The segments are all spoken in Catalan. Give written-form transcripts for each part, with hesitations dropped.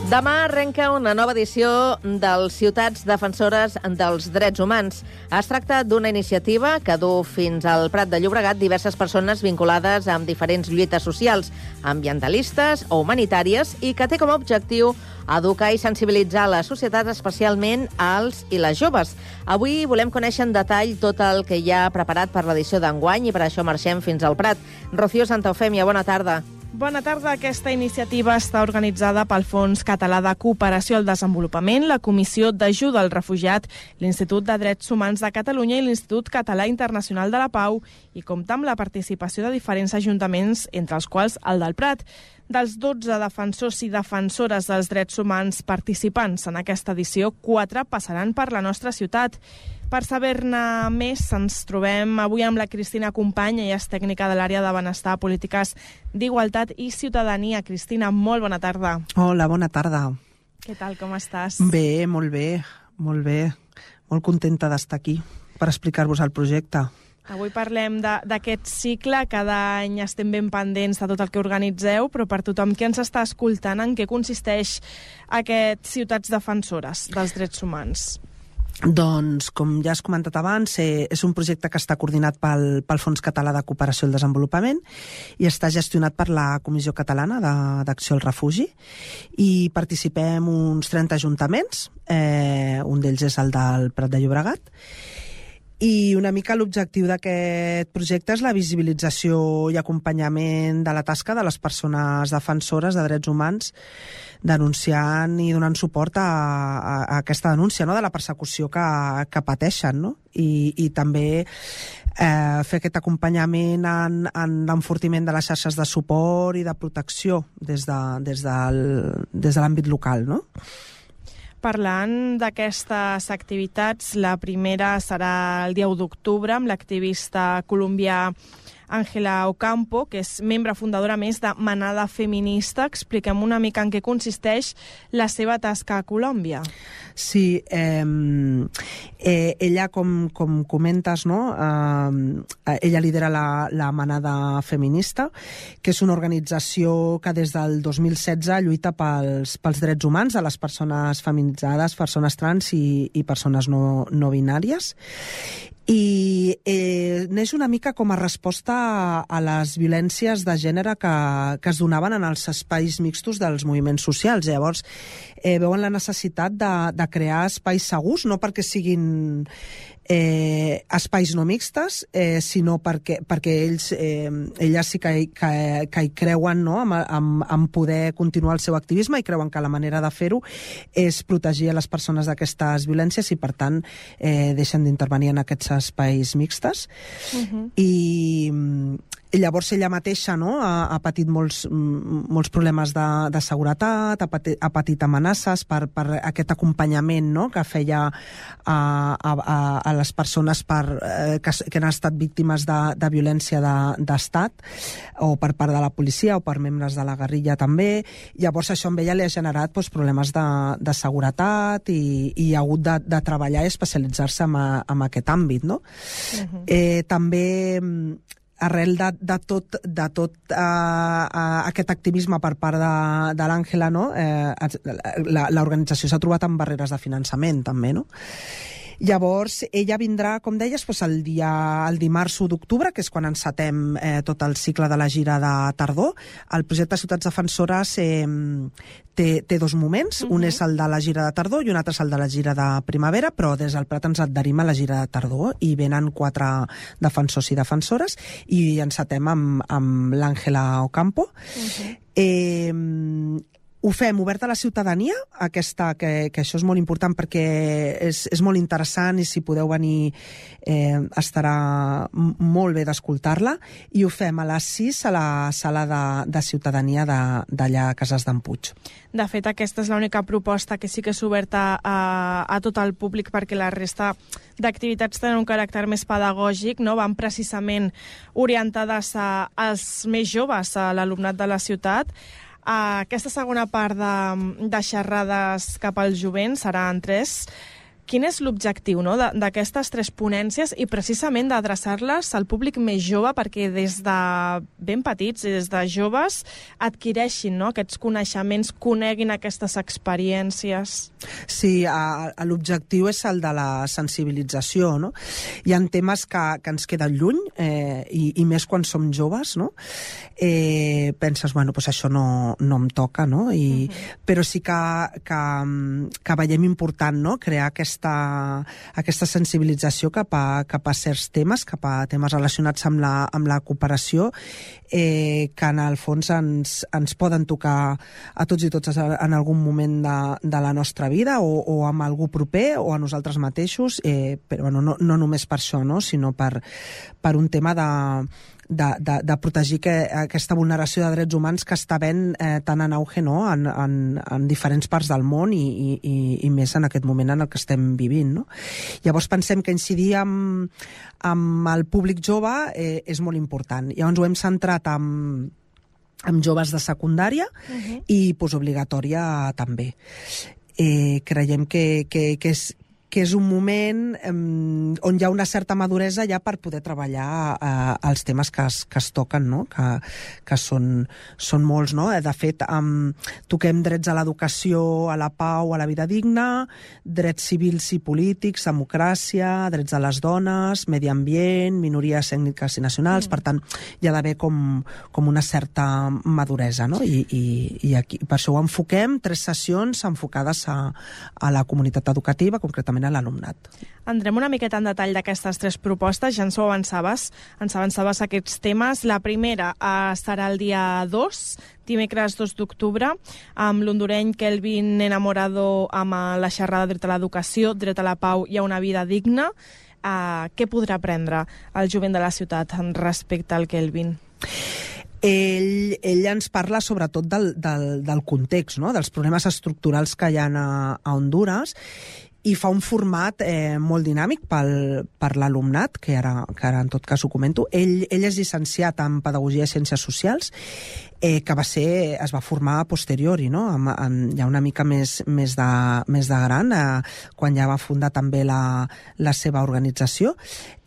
Demà arrenca una nova edició dels Ciutats Defensores dels Drets Humans. Es tracta d'una iniciativa que du fins al Prat de Llobregat diverses persones vinculades amb diferents lluites socials, ambientalistes o humanitàries, i que té com a objectiu educar i sensibilitzar la societat, especialment als i les joves. Avui volem conèixer en detall tot el que hi ha preparat per l'edició d'enguany i per això marxem fins al Prat. Rocío Santaeufèmia, bona tarda. Bona tarda. Aquesta iniciativa està organitzada pel Fons Català de Cooperació al Desenvolupament, la Comissió d'Ajuda al Refugiat, l'Institut de Drets Humans de Catalunya i l'Institut Català Internacional de la Pau, i compta amb la participació de diferents ajuntaments, entre els quals el del Prat. Dels 12 defensors i defensores dels drets humans participants en aquesta edició, 4 passaran per la nostra ciutat. Per saber-ne més, ens trobem avui amb la Cristina Company, ella és tècnica de l'àrea de benestar, polítiques d'igualtat i ciutadania. Cristina, molt bona tarda. Hola, bona tarda. Què tal, com estàs? Bé, molt bé, molt bé. Molt contenta d'estar aquí per explicar-vos el projecte. Avui parlem d'aquest cicle. Cada any estem ben pendents de tot el que organitzeu, però per tothom que ens està escoltant, en què consisteix aquest Ciutats Defensores dels Drets Humans? Doncs, com ja has comentat abans, és un projecte que està coordinat pel Fons Català de Cooperació al Desenvolupament i està gestionat per la Comissió Catalana d'Acció al Refugi, i participem uns 30 ajuntaments, un d'ells és el del Prat de Llobregat. I una mica l'objectiu d'aquest projecte és la visibilització i acompanyament de la tasca de les persones defensores de drets humans, denunciant i donant suport a aquesta denúncia, no?, de la persecució que pateixen, no? I també fer aquest acompanyament en l'enfortiment de les xarxes de suport i de protecció des de l'àmbit local, no? Parlant d'aquestes activitats, la primera serà el dia 1 d'octubre amb l'activista colombià Ángela Ocampo, que és membre fundadora més de Manada Feminista. Expliquem una mica en què consisteix la seva tasca a Colòmbia. Sí, ella, com comentes, no? Ella lidera la Manada Feminista, que és una organització que des del 2016 lluita pels drets humans de les persones feminitzades, persones trans i persones no binàries. I neix una mica com a resposta a les violències de gènere que es donaven en els espais mixtos dels moviments socials. Llavors, veuen la necessitat de crear espais segurs, no perquè siguin espais no mixtes, sinó perquè elles sí que hi creuen, no?, en poder continuar el seu activisme, i creuen que la manera de fer-ho és protegir a les persones d'aquestes violències, i per tant deixen d'intervenir en aquests espais mixtes. I llavors ella mateixa, no?, ha patit molts problemes de seguretat, ha patit amenaces per aquest acompanyament, no?, que feia a les persones que han estat víctimes de violència d'estat, o per part de la policia o per membres de la guerrilla també. Llavors això amb ella li ha generat problemes de seguretat, i ha hagut de treballar i especialitzar-se en aquest àmbit, no? També arrel de tot aquest activisme per part de l'Àngela, no?, l'organització s'ha trobat amb barreres de finançament també, no? Llavors, ella vindrà, com deies, el dimarts 1 d'octubre, que és quan encetem tot el cicle de la gira de tardor. El projecte Ciutats Defensores té dos moments. Un és el de la gira de tardor i un altre és el de la gira de primavera, però des del Prat ens adherim a la gira de tardor, i venen 4 defensors i defensores, i encetem amb l'Ángela Ocampo. Ho fem obert a la ciutadania, que això és molt important perquè és molt interessant, i si podeu venir estarà molt bé d'escoltar-la, i ho fem a les 6 a la sala de ciutadania d'allà a Cases d'en Puig. De fet, aquesta és l'única proposta que sí que és oberta a tot el públic, perquè la resta d'activitats tenen un caràcter més pedagògic, no? Van precisament orientades als més joves, a l'alumnat de la ciutat. Aquesta segona part de xerrades cap al jovent serà en 3 Quin és l'objectiu, no?, d'aquestes 3 ponències i precisament d'adreçar-les al públic més jove perquè des de ben petits, des de joves, adquireixin, no?, aquests coneixements, coneguin aquestes experiències? Sí, l'objectiu és el de la sensibilització, no? Hi ha temes que ens queden lluny, i més quan som joves, no? Penses, bueno, doncs això no em toca, no? Però sí que veiem important, no?, crear aquesta sensibilització cap a certs temes, cap a temes relacionats amb la cooperació, que en el fons ens poden tocar a tots i totes en algun moment de la nostra vida, o amb algú proper, o a nosaltres mateixos, però no només per això, no?, sinó per un tema de protegir aquesta vulneració de drets humans que està ben tan en auge, no?, en diferents parts del món i més en aquest moment en el que estem vivint, no? Llavors pensem que incidir amb el públic jove és molt important. Llavors ho hem centrat amb joves de secundària i postobligatòria també. Creiem que és un moment on hi ha una certa maduresa ja per poder treballar els temes que es toquen, no?, que són molts, no? De fet, toquem drets a l'educació, a la pau, a la vida digna, drets civils i polítics, democràcia, drets de les dones, medi ambient, minories ètniques i nacionals. Per tant, hi ha d'haver com una certa maduresa, no? I aquí, per això ho enfoquem, 3 sessions enfocades a la comunitat educativa, concretament a l'alumnat. Entrem una miqueta en detall d'aquestes 3 propostes, ja ens ho avançaves aquests temes. La primera serà el dia 2, dimecres 2 d'octubre, amb l'hondureny Kelvin Enamorado, amb la xerrada Dret a l'educació, dret a la pau i a una vida digna. Què podrà aprendre el jovent de la ciutat respecte al Kelvin? Ell ens parla sobretot del context, no?, dels problemes estructurals que hi ha a Hondures, i fa un format molt dinàmic per l'alumnat, que ara en tot cas ho comento. Ell és llicenciat en Pedagogia i Ciències Socials, que es va formar a posteriori, no?, ja una mica més de gran, quan ja va fundar també la seva organització.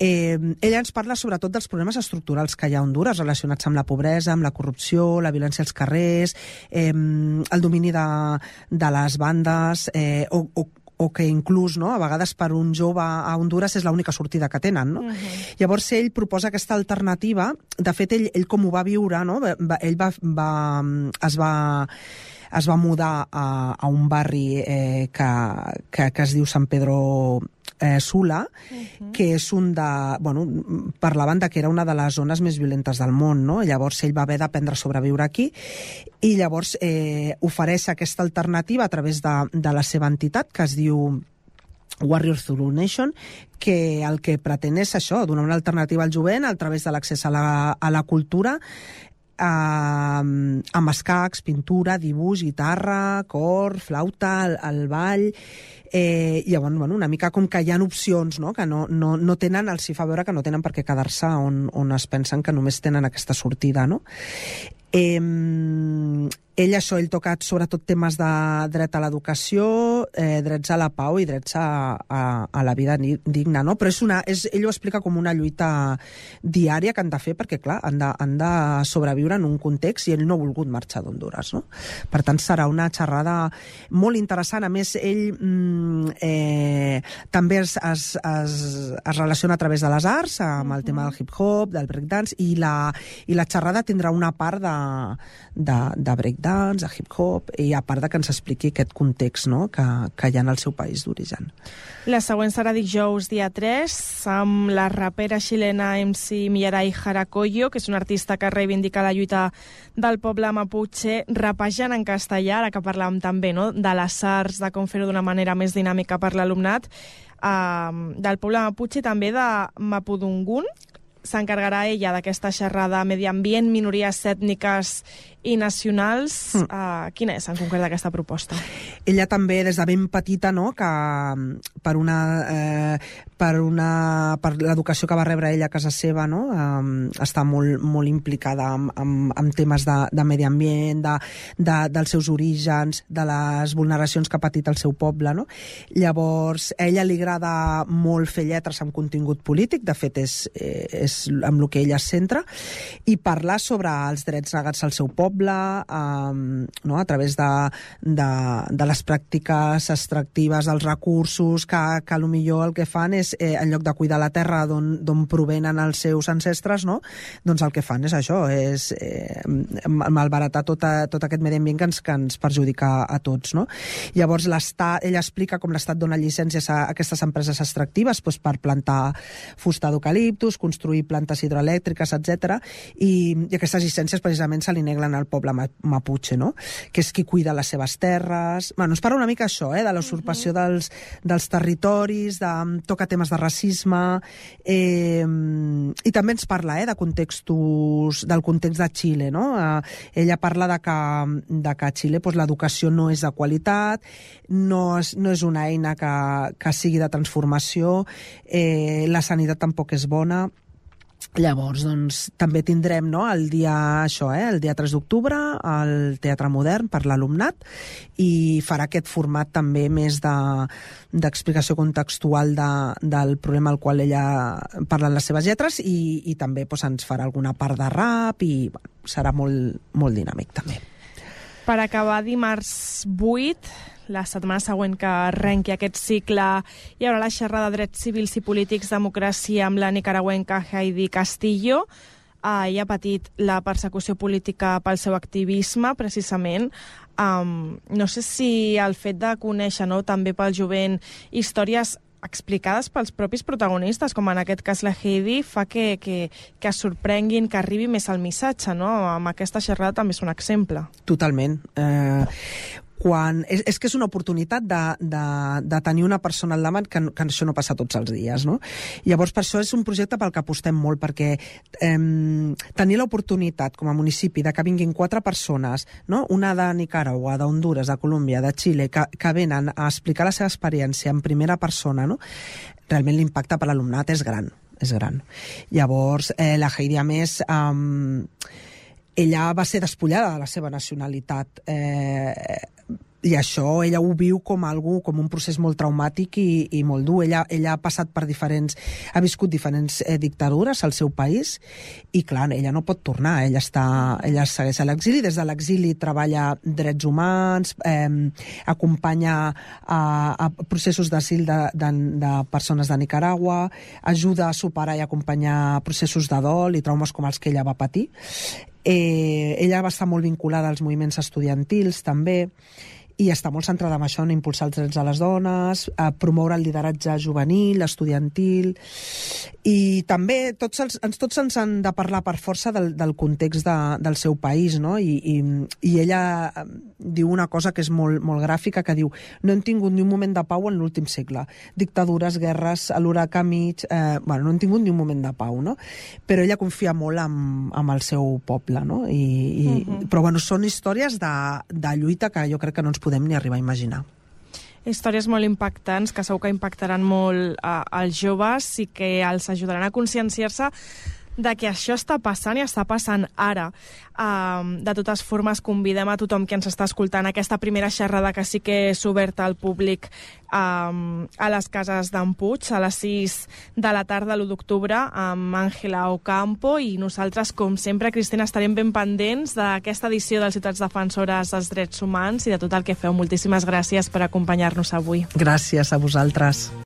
Ell ens parla sobretot dels problemes estructurals que hi ha a Hondures relacionats amb la pobresa, amb la corrupció, la violència als carrers, el domini de les bandes, o que inclús, no?, a vegades per un jove a Hondures és l'única sortida que tenen, no? Llavors ell proposa aquesta alternativa. De fet, ell com ho va viure, no?, ell es va mudar a un barri que es diu Sant Pedro Sula, que és parlaven que era una de les zones més violentes del món, no? Llavors ell va haver d'aprendre a sobreviure aquí, i llavors ofereix aquesta alternativa a través de la seva entitat, que es diu Warriors Zulu Nation, que el que pretén és això, donar una alternativa al jovent a través de l'accés a la cultura, amb escacs, pintura, dibuix, guitarra, cor, flauta, el ball. Llavors, una mica com que hi ha opcions, no?, que no tenen, els hi fa veure que no tenen per què quedar-se on es pensen que només tenen aquesta sortida, no? Ell toca sobretot temes de dret a l'educació, drets a la pau i drets a la vida digna, no? Però ell ho explica com una lluita diària que han de fer perquè, clar, han de sobreviure en un context, i ell no ha volgut marxar d'Hondures, no? Per tant, serà una xerrada molt interessant. A més, ell també es relaciona a través de les arts, amb el tema del hip-hop, del breakdance, i la xerrada tindrà una part de breakdance, de hip-hop, i a part que ens expliqui aquest context, no?, que hi ha en el seu país d'origen. La següent serà dijous, dia 3, amb la rapera xilena MC Millaray Jaracollo, que és una artista que reivindica la lluita del poble maputxe, rapejant en castellà, ara que parlàvem també, no?, de les arts, de com fer-ho d'una manera més dinàmica per l'alumnat, del poble maputxe i també de Mapudungun. S'encarregarà ella d'aquesta xerrada medi ambient, minories ètniques i nacionals. Quina és en concret aquesta proposta? Ella també, des de ben petita, no?, que per per l'educació que va rebre ella a casa seva, no? Està molt implicada en temes de medi ambient, dels seus orígens, de les vulneracions que ha patit el seu poble, no? Llavors, a ella li agrada molt fer lletres amb contingut polític, de fet és amb el que ella es centra, i parlar sobre els drets negats al seu poble, no? A través de les pràctiques extractives, els recursos, que potser el que fan és, en lloc de cuidar la terra d'on provenen els seus ancestres, no? Doncs el que fan és això, és malbaratar tot aquest medi ambient que ens perjudica a tots, no? Llavors, ella explica com l'Estat dona llicències a aquestes empreses extractives per plantar fusta d'eucaliptus, construir plantes hidroelèctriques, etc. I aquestes llicències precisament se li neguen al poble maputxe, no? Que és qui cuida les seves terres. Bueno, ens parla una mica això, de la usurpació dels territoris, toca temes de racisme, i també ens parla del context de Xile, no? Ella parla de que a Xile l'educació no és de qualitat, no és una eina que sigui de transformació, la sanitat tampoc és bona. Llavors, doncs, també tindrem el dia 3 d'octubre al Teatre Modern per l'alumnat, i farà aquest format també més d'explicació contextual del problema al qual ella parla en les seves lletres, i també ens farà alguna part de rap, i serà molt, molt dinàmic també. Per acabar, dimarts 8, la setmana següent que arrenqui aquest cicle, hi haurà la xerrada de drets civils i polítics, democràcia, amb la nicaragüenca Heidi Castillo. Ella ha patit la persecució política pel seu activisme, precisament. No sé si el fet de conèixer, també pel jovent, històries explicades pels propis protagonistes, com en aquest cas la Heidi, fa que es sorprenguin, que arribi més el missatge, no? Amb aquesta xerrada també és un exemple. Totalment. És que és una oportunitat de tenir una persona al davant, que això no passa tots els dies, no? Llavors, per això és un projecte pel que apostem molt, perquè tenir l'oportunitat com a municipi de que vinguin 4 persones, no? Una de Nicaragua, d'Honduras, de Colòmbia, de Xile, que venen a explicar la seva experiència en primera persona, no? Realment l'impacte per l'alumnat és gran. Llavors, la Heidi, a més, ella va ser despullada de la seva nacionalitat, i això ella ho viu com un procés molt traumàtic i molt dur. Ella ha passat per ha viscut diferents dictadures al seu país, i clar, ella no pot tornar, ella segueix a l'exili. Des de l'exili treballa drets humans, acompanya a processos d'asil de persones de Nicaragua, ajuda a superar i acompanyar processos de dol i traumes com els que ella va patir. Ella va estar molt vinculada als moviments estudiantils també, i està molt centrada en això, en impulsar els drets de les dones, a promoure el lideratge juvenil, estudiantil, i també tots ens han de parlar per força del context del seu país, no? I ella diu una cosa que és molt, molt gràfica, que diu: no hem tingut ni un moment de pau en l'últim segle. Dictadures, guerres, a l'huracà mig... no hem tingut ni un moment de pau, no? Però ella confia molt en el seu poble, no? Però són històries de lluita que jo crec que no ens podem ni arribar a imaginar. Històries molt impactants, que segur que impactaran molt als joves i que els ajudaran a conscienciar-se de que això està passant i està passant ara. De totes formes, convidem a tothom que ens està escoltant a aquesta primera xerrada, que sí que és oberta al públic, a les cases d'en Puig, a les 6 de la tarda, l'1 d'octubre, amb Àngela Ocampo, i nosaltres, com sempre, Cristina, estarem ben pendents d'aquesta edició dels Ciutats Defensores dels Drets Humans i de tot el que feu. Moltíssimes gràcies per acompanyar-nos avui. Gràcies a vosaltres.